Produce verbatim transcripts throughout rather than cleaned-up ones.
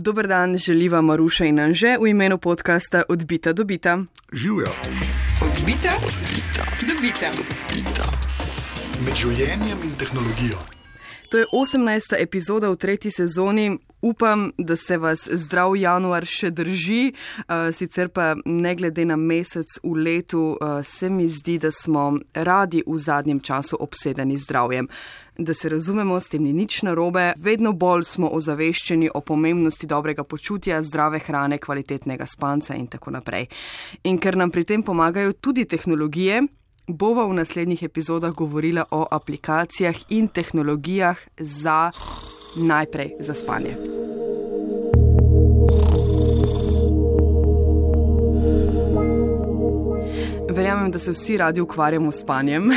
Dober dan, želiva Maruša in Anže v imenu podcasta Odbita dobita. Živjo. Odbita dobita. Med življenjem in tehnologijo. To je osemnajsta epizoda v tretji sezoni. Upam, da se vas zdrav januar še drži, sicer pa ne glede na mesec v letu se mi zdi, da smo radi v zadnjem času obsedeni zdravjem. Da se razumemo, s tem ni nič narobe, vedno bolj smo ozaveščeni o pomembnosti dobrega počutja, zdrave hrane, kvalitetnega spanca in tako naprej. In ker nam pri tem pomagajo tudi tehnologije, bova v naslednjih epizodah govorila o aplikacijah in tehnologijah za najprej za spanje. Verjamem, da se vsi radi ukvarjamo s spanjem,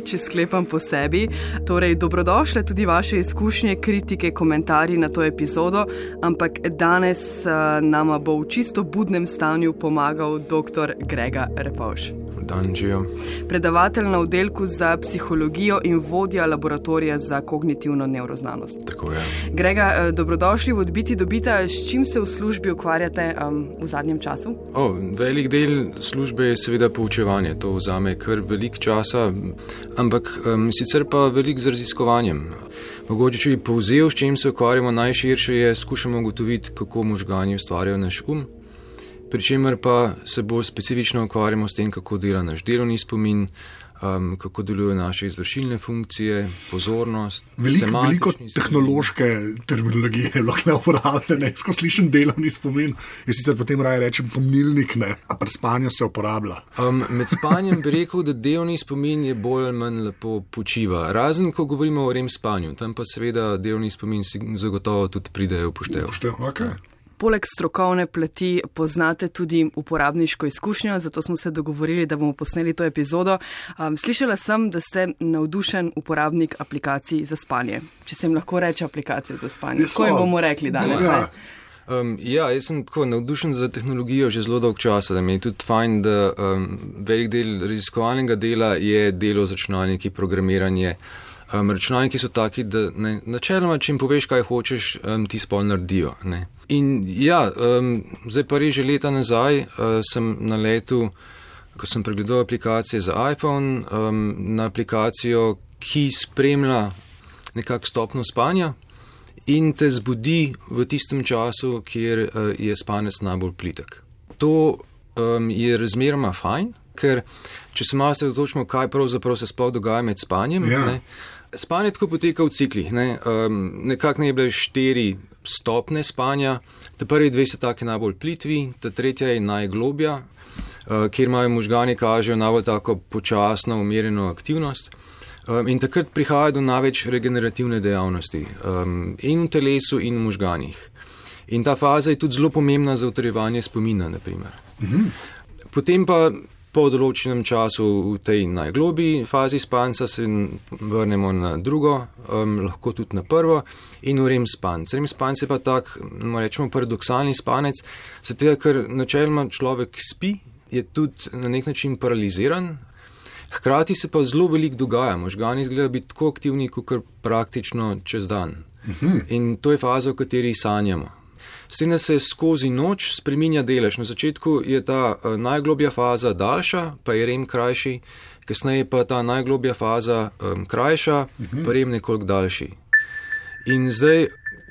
če sklepam po sebi. Torej, dobrodošle tudi vaše izkušnje, kritike, komentarji na to epizodo, ampak danes uh, nama bo v čisto budnem stanju pomagal dr. Grega Repovž. Dan, žijo. Predavatelj na oddelku za psihologijo in vodja laboratorija za kognitivno nevroznanost. Tako je. Grega, dobrodošli v Odbiti dobita. S čim se v službi ukvarjate um, v zadnjem času? O, velik del službe je seveda poučevanje. To vzame kar velik časa, ampak um, sicer pa velik z raziskovanjem. Mogoče, če bi povzel, s čim se ukvarjamo najširše, je skušamo ugotoviti, kako možgani ustvarjajo naš um. Pričemer pa se bolj specifično ukvarjamo s tem, kako dela naš delovni spomin, um, kako delujejo naše izvršilne funkcije, pozornost, Velik, veliko spomin. tehnološke terminologije je lahko uporabljene. Ko slišim delovni spomin, jaz sicer potem raje rečem pomnilnik, ne, a pri spanju se uporablja. Um, med spanjem bi rekel, da delovni spomin je bolj ali manj lepo počiva. Razen, ko govorimo o rem spanju, tam pa seveda delovni spomin si zagotovo tudi pridejo upoštev. Upoštev, okay. Poleg strokovne plati poznate tudi uporabniško izkušnjo, zato smo se dogovorili, da bomo posneli to epizodo. Um, slišala sem, da ste navdušen uporabnik aplikacij za spanje. Če se jim lahko reče aplikacije za spanje. Tako jim bomo rekli danes. Ja. Um, ja, jaz sem tako navdušen za tehnologijo že zelo dolg časa, da mi je tudi fajn, da um, velik del raziskovalnega dela je delo z računalniki, programiranje. Um, računalniki so taki, da ne, načeloma, če jim poveš, kaj hočeš, um, ti spol naredijo. Ne. In ja, um, zdaj pa res že leta nazaj uh, sem na letu, ko sem pregledal aplikacije za iPhone, um, na aplikacijo, ki spremlja nekak stopno spanja in te zbudi v tistem času, kjer uh, je spanec najbolj plitek. To um, je razmeroma fajn, ker če se malo se dotočimo, kaj pravzaprav se sploh dogaja med spanjem, ja. ne, spanje tako poteka v ciklih, ne, um, nekako ne je bile štiri stopne spanja, ta prvi dve so take najbolj plitvi, ta tretja je najglobja, uh, kjer imajo možgani kažejo najbolj tako počasno, umirjeno aktivnost um, in takrat prihaja do največ regenerativne dejavnosti um, in v telesu in v možganih. In ta faza je tudi zelo pomembna za utrjevanje spomina, na primer. Mhm. Potem pa po določenem času v tej najglobji fazi spanca se vrnemo na drugo, um, lahko tudi na prvo in v rem spanc. Rem spanc je pa tak, rečemo, paradoksalni spanec, zato ker načeloma človek spi, je tudi na nek način paraliziran, hkrati se pa zelo veliko dogaja, možgani izgledajo biti tako aktivni, kot praktično čez dan. Mhm. In to je faza, v kateri sanjamo. S tem, da se skozi noč spreminja delež. Na začetku je ta uh, najglobja faza daljša, pa je rem krajši, kasneje pa ta najglobja faza um, krajša, uh-huh. pa rem nekoliko daljši. In zdaj,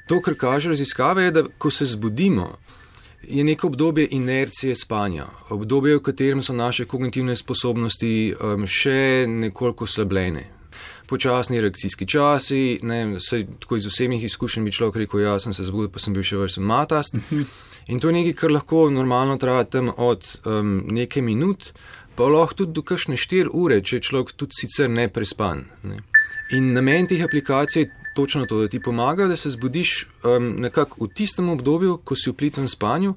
to, kar kaže raziskave, je, da ko se zbudimo, je neko obdobje inercije spanja, obdobje, v katerem so naše kognitivne sposobnosti um, še nekoliko slabljene. Počasni reakcijski časi, ne, saj tako iz vsemi izkušenj bi človek rekel, ja, sem se zbudil, pa sem bil še vrsten matast. In to je nekaj, kar lahko normalno traja tam od um, nekaj minut, pa lahko tudi do kakšne štiri ure, če je človek tudi sicer ne prespan. Ne. In namen teh aplikacij je točno to, da ti pomaga, da se zbudiš um, nekako v tistem obdobju, ko si v plitvem spanju,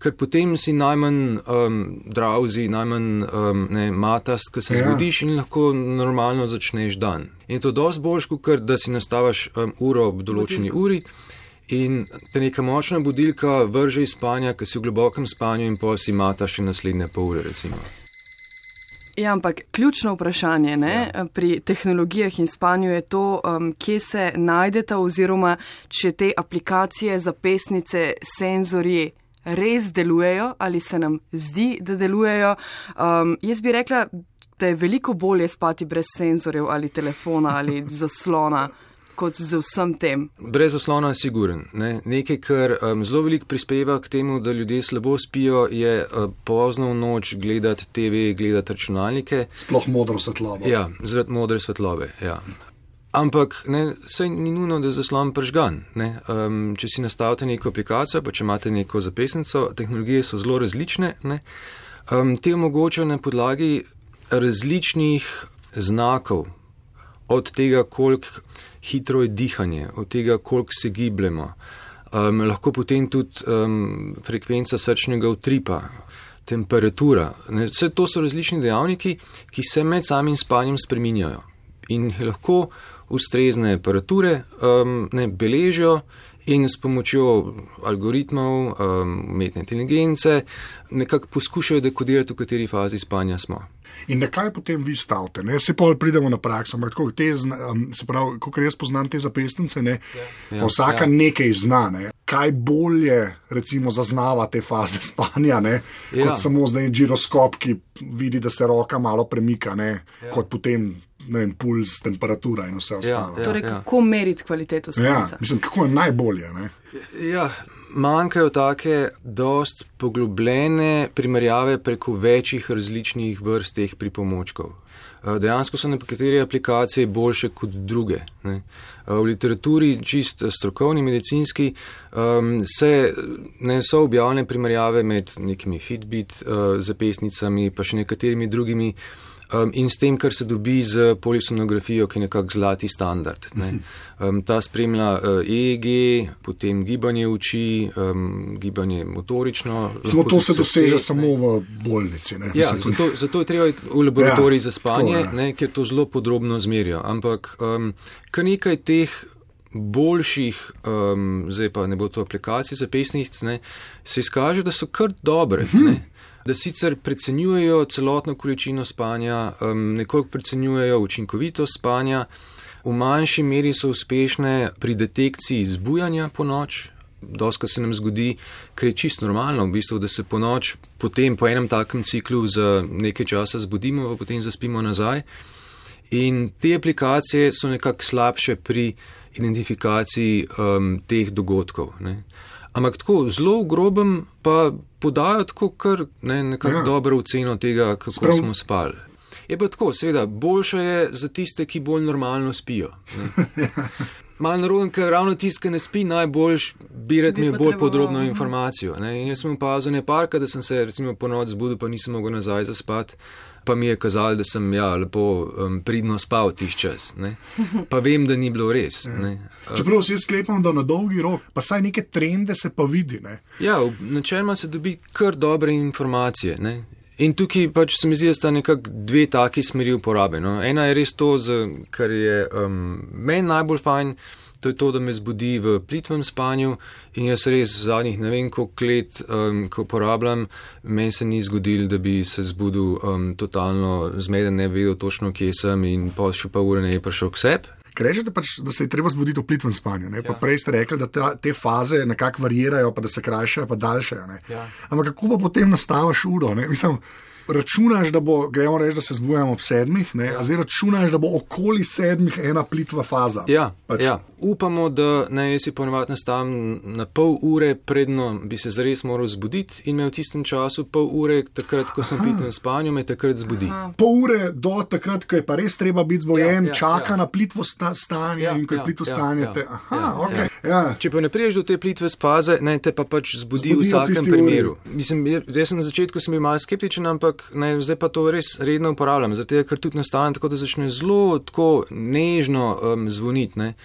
ker potem si najmanj um, drowsy, najmanj um, ne, matast, ko se ja. zbudiš in lahko normalno začneš dan. In to dosti boljš, kot da si nastavaš um, uro ob določeni uri in te neka močna budilka vrže iz spanja, ko si v globokem spanju in pol si mataš še naslednje pol ure, recimo. Ja, ampak ključno vprašanje ne, ja. pri tehnologijah in spanju je to, um, kje se najdeta oziroma če te aplikacije, zapestnice, senzorji res delujejo ali se nam zdi, da delujejo. Um, jaz bi rekla, da je veliko bolje spati brez senzorjev ali telefona ali zaslona, kot z vsem tem. Brez zaslona je siguren. Ne? Nekaj, kar um, zelo veliko prispeva k temu, da ljudje slabo spijo, je uh, pozno v noč gledati te ve, gledati računalnike. Sploh modro svetlobo. Ja, zaradi modre svetlobe, ja. Ampak ne, saj ni nujno, da je zaslon pržgan. Ne? Um, če si nastavite neko aplikacijo, pa če imate neko zapestnico, tehnologije so zelo različne. Ne? Um, te omogočajo na podlagi različnih znakov, od tega, koliko hitro je dihanje, od tega, koliko se gibljemo. Um, lahko potem tudi um, frekvenca srčnega utripa, temperatura. Ne? Vse to so različni dejavniki, ki se med samim spanjem spreminjajo. In lahko ustrezne aparature um, ne, beležijo in s pomočjo algoritmov, um, umetne inteligence nekako poskušajo dekodirati, v kateri fazi spanja smo. In na kaj potem vi stavite? Ne? Se pa pridemo na prakso, ampak tako, te, um, se pravi, kot jaz poznam te zapestnice, ne? Ja, vsaka ja. nekaj zna. Ne? Kaj bolje recimo zaznava te faze spanja, ne? Ja. Kot samo zdaj giroskop, ki vidi, da se roka malo premika, ne? Ja. Kot potem ne vem, puls, temperatura in vse ostalo. Ja, ja, torej, kako ja. meriti kvaliteto spanca? Ja, mislim, kako je najbolje, ne? Ja, manjkajo take dost poglobljene primerjave preko večjih različnih vrst teh pripomočkov. Dejansko so nekatere aplikacije boljše kot druge. Ne. V literaturi, čist strokovni, medicinski, um, se ne so objavljene primerjave med nekimi Fitbit uh, zapestnicami, pa še nekaterimi drugimi, Um, in s tem, kar se dobi z polisonografijo, ki je nekak zlati standard. Ne. Um, ta spremlja uh, E E G, potem gibanje oči, um, gibanje motorično. Samo to se doseže ne. samo v bolnici. Ne. Ja, Mislim, zato, zato je treba iti v laboratorij ja, za spanje, tako, ne, ker to zelo podrobno zmerijo. Ampak um, kar nekaj teh boljših, um, zdaj pa ne bo to aplikacij zapestnic, ne, se izkaže, da so kar dobre. Uh-huh. Ne. Da sicer precenjujejo celotno količino spanja, um, nekoliko precenjujejo učinkovitost spanja, v manjši meri so uspešne pri detekciji zbujanja po noč. Doskrat se nam zgodi, ker je čisto normalno, v bistvu, da se po noč, potem po enem takem ciklu za nekaj časa zbudimo, pa potem zaspimo nazaj. In te aplikacije so nekako slabše pri identifikaciji um, teh dogodkov. Ne. Ampak tako zelo v grobem pa podajo tako kar ne, nekako ja. dobro oceno tega, kako Sprav... smo spali. Je pa tako, seveda, boljše je za tiste, ki bolj normalno spijo. Malo naroden, ker ravno tiste, ki ne spi, najboljš birati mi bolj podrobno informacijo. Ne. In jaz sem opazil neparka, da sem se recimo po noč zbudil, pa nisem mogel nazaj zaspati. Pa mi je kazalo, da sem ja, lepo um, pridno spal tih čas. Ne? Pa vem, da ni bilo res. Ne? Čeprav si jaz sklepam, da na dolgi rok, pa saj neke trende se pa vidi. Ne? Ja, načeloma se dobi kar dobre informacije. Ne? In tukaj pač se mi zdi, da sta nekako dve taki smeri uporabe. No? Ena je res to, kar je um, meni najbolj fajn, to je to, da me zbudi v plitvem spanju in jaz res v zadnjih ne vem koliko let, um, ko uporabljam, meni se ni zgodil, da bi se zbudil um, totalno zmeden, ne vedel točno, kje sem in pa še pa ure ne je prišel k sebi. Ker rečete pač, da se je treba zbuditi v plitvem spanju, ne? Pa ja. prej ste rekli, da te, te faze nekako varirajo, pa da se krajšajo, pa daljšajo. Ne? Ja. Ampak kako pa potem nastaviš uro? Ne? Mislim, računaš, da bo, gremo reči, da se zbujamo ob sedmih, ne? Ja. A zdaj računaš, da bo okoli sedmih ena plitva faza. Ja, pač. ja. Upamo, da ne jaz si ponovadi nastavim na pol ure, predno bi se zares moral zbuditi in me v tistem času pol ure, takrat, ko sem v plitvem spanju, me takrat zbudi. Aha. Pol ure do takrat, ko je pa res treba biti zbojen, ja, ja, čaka ja. na plitvo sta, stanje ja, in ko je ja, plitvo ja, stanje. Ja, te, aha, ja, okay. ja. Ja. Če pa ne priješ do te plitve faze, ne, te pa pač zbudi v vsakem primeru. Mislim, jaz sem na začetku sem bil malo skeptičen, ampak ne, zdaj pa to res redno uporabljam, zato ker tudi nastane tako, da začne zelo tako nežno um, zvoniti. Ne.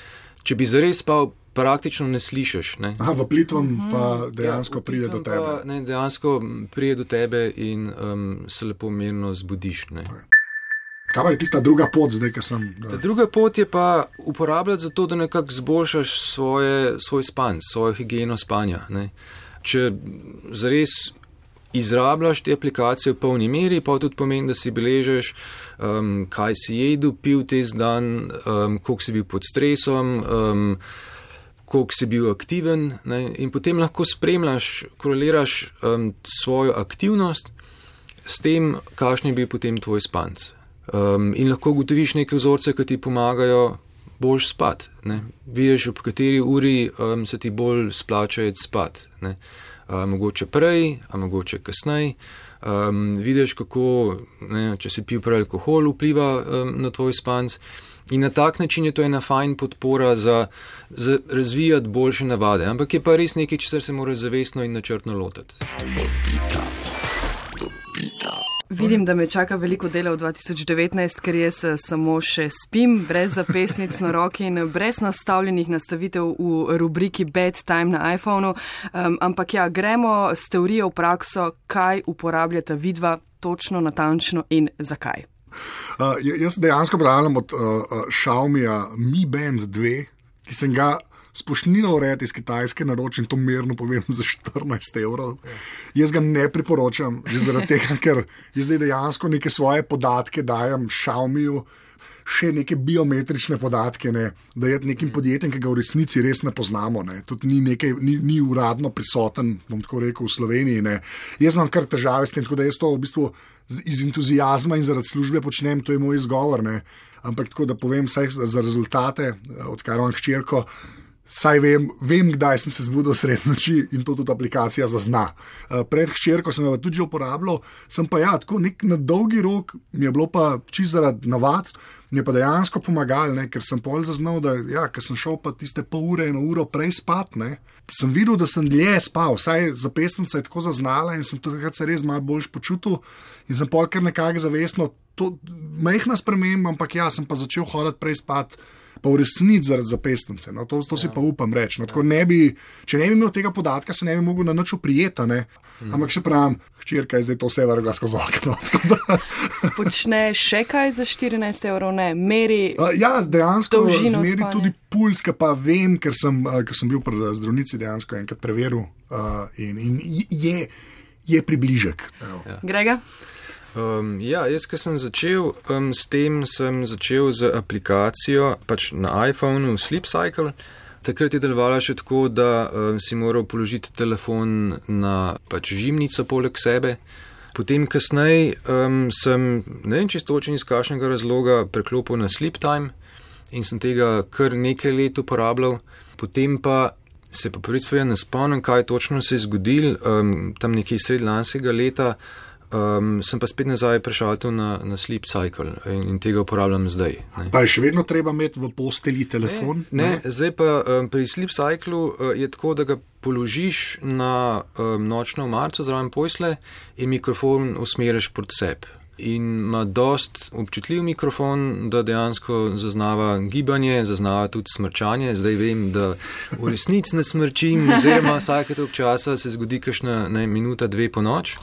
Če bi zares spal, praktično ne slišiš. Ne. Aha, v plitvom pa dejansko ja, pride do tebe. Pa, ne, dejansko pride do tebe in um, se lepo mirno zbudiš. Ne. Kaj pa je tista druga pot zdaj, ki sem... Da... Druga pot je pa uporabljati za to, da nekako zboljšaš svoje, svoj spanj, svojo higieno spanja. Ne. Če zares izrabljaš te aplikacije v polni meri, pa tudi pomeni, da si beležeš, um, kaj si jedel, pil tez dan, um, koliko si bil pod stresom, um, koliko si bil aktiven, ne, in potem lahko spremljaš, koreliraš um, svojo aktivnost s tem, kakšen je bil potem tvoj spanc. Um, in lahko ugotoviš neke vzorce, ki ti pomagajo bolj spat. Ne. Vidiš, ob kateri uri um, se ti bolj splača spat. Ne. Uh, mogoče prej, a mogoče kasneje. Um, vidiš, kako, ne, če si pil prej alkohol, vpliva um, na tvoj spanc. In na tak način je to ena fajn podpora za, za razvijati boljše navade. Ampak je pa res nekaj, česar se mora zavestno in načrtno lotiti. Vidim, da me čaka veliko dela v dva tisoč devetnajst, ker jaz samo še spim, brez zapestnic na roki in brez nastavljenih nastavitev v rubriki Bedtime na iPhonu. Um, ampak ja, gremo s teorijo v prakso, kaj uporabljata vidva točno, natančno in zakaj. Uh, jaz dejansko pravljam od uh, Xiaomija Mi Band dve, ki sem ga spošnino urejati iz Kitajske naročim, to merno povem, za štirinajst evrov. Jaz ga ne priporočam, že zaradi tega, ker jaz zdaj dejansko neke svoje podatke dajem Xiaomiju, še neke biometrične podatke, ne, da je nekim podjetjem, ki ga v resnici res ne poznamo, ne, tudi ni, nekaj, ni, ni uradno prisoten, bom tako rekel, v Sloveniji. Ne. Jaz imam kar težave s tem, tako da jaz to v bistvu iz entuzijazma in zaradi službe počnem, to je moj izgovor, ne. Ampak tako da povem vsaj za rezultate, odkar imam hčerko, saj vem, vem, kdaj sem se zbudil sred noči in to tudi aplikacija zazna. Pred hčerko sem jo tudi že uporabljal, sem pa ja, tako nek na dolgi rok mi je bilo pa čisto zaradi navad, mi je pa dejansko pomagal, ne, ker sem pol zaznal, da ja, ker sem šel pa tiste pol ure, eno uro prej spat, ne, sem videl, da sem dlje spal, vsaj zapestnica je tako zaznala in sem takrat se res malo boljš počutil in sem pol kar nekako zavestno, to majhna sprememba, ampak ja, sem pa začel hoditi prej spat, pa v resnici zaradi zapestnice. No, to to ja. si pa upam reči. No, tako ne bi, če ne bi imel tega podatka, se ne bi mogel na nič oprijeti. Hmm. Ampak še pravim, hčerka je zdaj to vse vrgla skozi okno. Počne še kaj za štirinajst evrov? Ne, meri uh, ja, dejansko dolžino meri spanja. Tudi puls, ki pa vem, ker sem, uh, ker sem bil pri zdravnici dejansko enkrat preveril uh, in, in je, je približek. Ja. Grega? Um, ja, jaz, ko sem začel um, s tem, sem začel z aplikacijo pač na iPhonu Sleep Cycle. Takrat je delovala še tako, da um, si moral položiti telefon na pač žimnico poleg sebe. Potem kasneje um, sem, ne vem čisto točno iz kakšnega razloga, preklopil na Sleep Time in sem tega kar nekaj let uporabljal. Potem pa se pa prvič ne spomnim, kaj točno se je zgodil, um, tam nekaj sredi lanskega leta. Um, sem pa spet nazaj prešaltil na, na Sleep Cycle in, in tega uporabljam zdaj. Ne. Pa je še vedno treba imeti v posteli telefon? Ne, ne, ne. Zdaj pa um, pri Sleep Cyclu uh, je tako, da ga položiš na um, nočno omarico zraven posle in mikrofon usmeriš proti sebi. In ima dost občutljiv mikrofon, da dejansko zaznava gibanje, zaznava tudi smrčanje. Zdaj vem, da v resnici ne smrčim, oziroma vsake toliko časa se zgodi kakšna ne, minuta, dve po noč.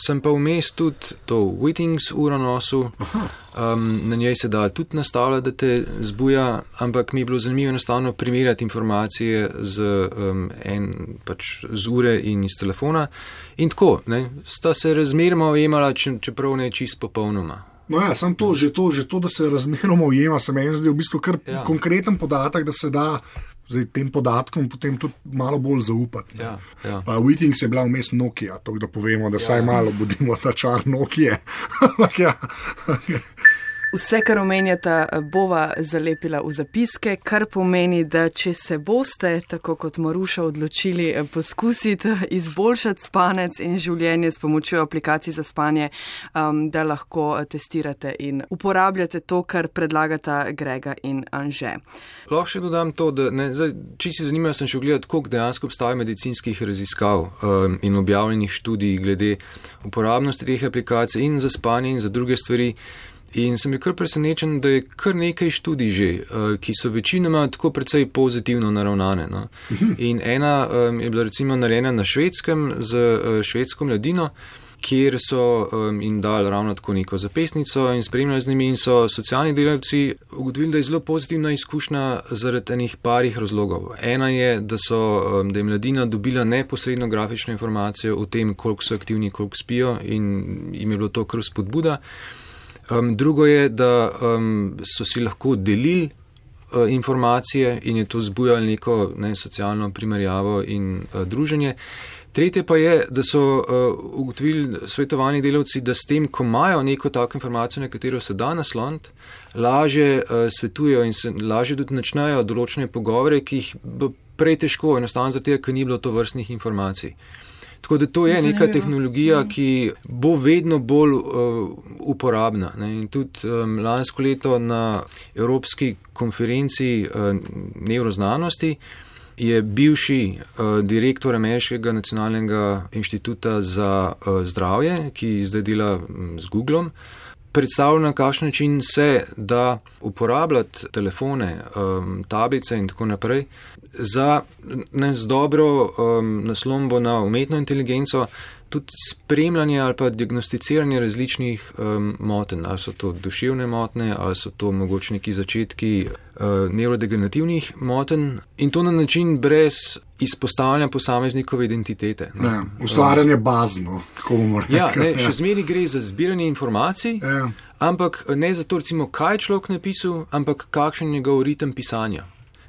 Sem pa vmes tudi to Wittings uro nosil, um, na njej se da tudi nastavljati, da te zbuja, ampak mi je bilo zanimivo enostavno primerjati informacije z, um, en, pač z ure in iz telefona. In tako, ne, sta se razmeroma ujemala, čeprav ne čist popolnoma. No ja, sam to, že to, že to, da se razmeroma ujema, se meni zdi v bistvu kar ja. konkreten podatek, da se da zdaj tem podatkom potem tudi malo bolj zaupati. Ja, ja. Pa Wittings je bila vmes Nokia, to da povemo, da ja. saj malo budimo ta čar Nokia. ja. Vse, kar omenjata, bova zalepila v zapiske, kar pomeni, da če se boste, tako kot Maruša, odločili poskusiti izboljšati spanec in življenje s pomočjo aplikacij za spanje, um, da lahko testirate in uporabljate to, kar predlagata Grega in Anže. Lahko še dodam to, da ne, zdaj, če si zanimajo, sem še gledati, koliko dejansko obstaja medicinskih raziskav um, in objavljenih študij glede uporabnosti teh aplikacij in za spanje in za druge stvari. In sem je kar presenečen, da je kar nekaj študij že, ki so večinoma tako precej pozitivno naravnane. No. In ena um, je bila recimo narejena na Švedskem z uh, švedsko mladino kjer so um, jim dali ravno tako neko zapisnico in spremljali z njimi in so socialni delavci ugotovili, da je zelo pozitivna izkušnja zaradi enih parih razlogov. Ena je, da, so, um, da je mladina dobila neposredno grafično informacijo o tem, koliko so aktivni, koliko spijo in jim je bilo to kar spodbuda. Um, drugo je, da um, so si lahko delili uh, informacije in je to zbujalo neko ne, socialno primerjavo in uh, druženje. Tretje pa je, da so uh, ugotovili svetovalni delavci, da s tem, ko imajo neko tako informacijo, na katero se da nasloniti, lažje uh, svetujejo in se lažje tudi načnejo določene pogovore, ki jih bo prej težko, enostavno zato, ker ni bilo to vrstnih informacij. Tako da to je neka tehnologija, ki bo vedno bolj uh, uporabna. Ne? In tudi um, lansko leto na Evropski konferenci uh, nevroznanosti je bivši uh, direktor Ameriškega nacionalnega inštituta za uh, zdravje, ki zdaj dela um, z Googlom, predstavlja, na kakšen način se da uporabljati telefone, um, tablice in tako naprej za ne, z dobro um, naslombo na umetno inteligenco, tudi spremljanje ali pa diagnosticiranje različnih um, motenj. Ali so to duševne motnje, ali so to mogoče neki začetki uh, nevrodegenerativnih motenj in to na način brez izpostavljanja posameznikove identitete. Ne? Ne, ustvarjanje bazno, tako bomo rekli. Ja, ne, še zmeri gre za zbiranje informacij, ja. Ampak ne zato recimo, kaj je človek napisal, ampak kakšen je njegov ritem pisanja,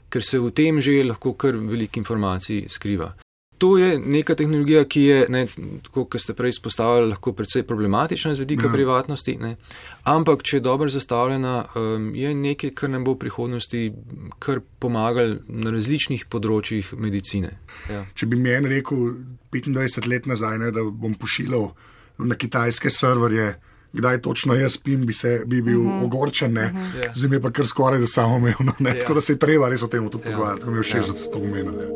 ker se v tem že lahko kar veliko informacij skriva. To je neka tehnologija, ki je, ne, tako kot ste prej izpostavili, lahko precej problematična z vidika ja. privatnosti, ne, ampak če je dobro zastavljena, um, je nekaj, kar nam bo v prihodnosti kar pomagali na različnih področjih medicine. Ja. Če bi meni rekel petindvajset let nazaj, ne, da bom pošiljal na kitajske serverje, kdaj točno jaz spim, bi, se, bi bil uh-huh. ogorčen, ne, uh-huh. yeah. zdaj mi je pa kar skoraj da samoumevno, ne, yeah. tako da se je treba res o tem tudi yeah. pogovarjati, tako mi je všeč, yeah. da se to omenili.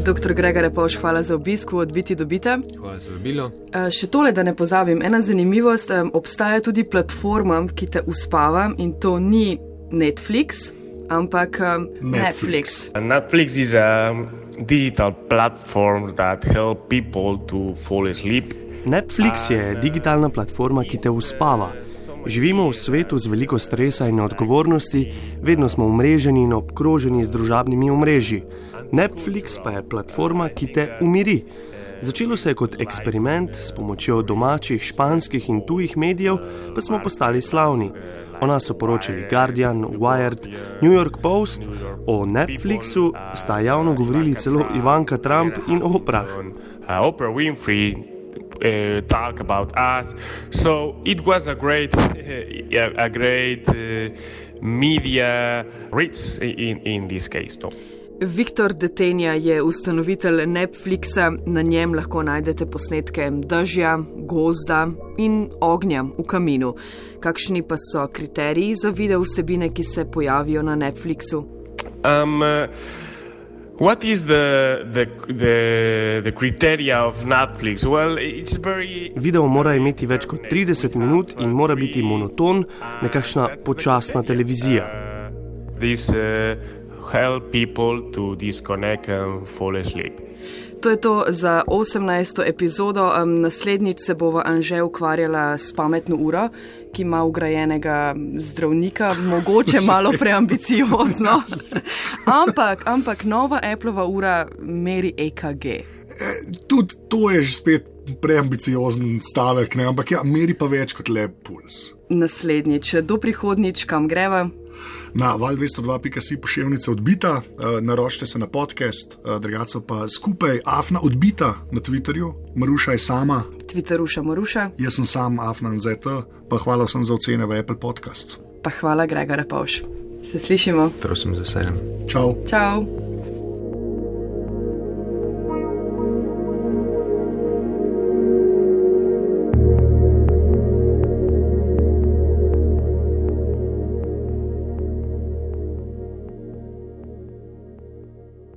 Doktor Gregor Repovž, hvala za obisk v Odbiti dobite. Hvala za vabilo. Še tole, da ne pozabim, ena zanimivost, obstaja tudi platforma, ki te uspava in to ni Netflix, ampak Netflix. Netflix is a digital platform that help people to fall asleep. Netflix je digitalna platforma, ki te uspava. Živimo v svetu z veliko stresa in odgovornosti, vedno smo omreženi in obkroženi z družabnimi omrežji. Netflix pa je platforma, ki te umiri. Začelo se je kot eksperiment, s pomočjo domačih, španskih in tujih medijev pa smo postali slavni. O nas so poročali Guardian, Wired, New York Post, o Netflixu sta javno govorili celo Ivanka Trump in Oprah. Oprah Winfrey uh, talk about us, so it was a great, uh, a great uh, media reach in, in this case. No? Viktor Detenja je ustanovitelj Netflixa, na njem lahko najdete posnetke dežja, gozda in ognja v kaminu. Kakšni pa so kriteriji za video vsebine, ki se pojavijo na Netflixu? Um, uh, what is the, the, the, the criteria of Netflix? Well, it's very... Video mora imeti več kot trideset minut in mora biti monoton, nekakšna počasna televizija. Uh, this, uh, help people to disconnect and fall asleep. To je to za osemnajsto epizodo. Naslednjič se bova Anže ukvarjala s pametno uro, ki ima vgrajenega zdravnika, mogoče malo preambiciozno. ampak, ampak nova Appleova ura meri E K G. E, tudi to je že spet preambiciozen stavek, ne? Ampak ja, meri pa več kot le puls. Naslednjič, do prihodnjič, kam greva? Na val dvesto dva pika si pošiljnica Odbita, naročite se na podcast, drugače pa skupaj Afna Odbita na Twitterju, Maruša je sama. Twitteruša Maruša. Jaz sem sam Afna N Z T, pa hvala vsem za ocene v Apple Podcast. Pa hvala Gregor Repovž. Se slišimo. Prosim za sejem. Čau. Čau.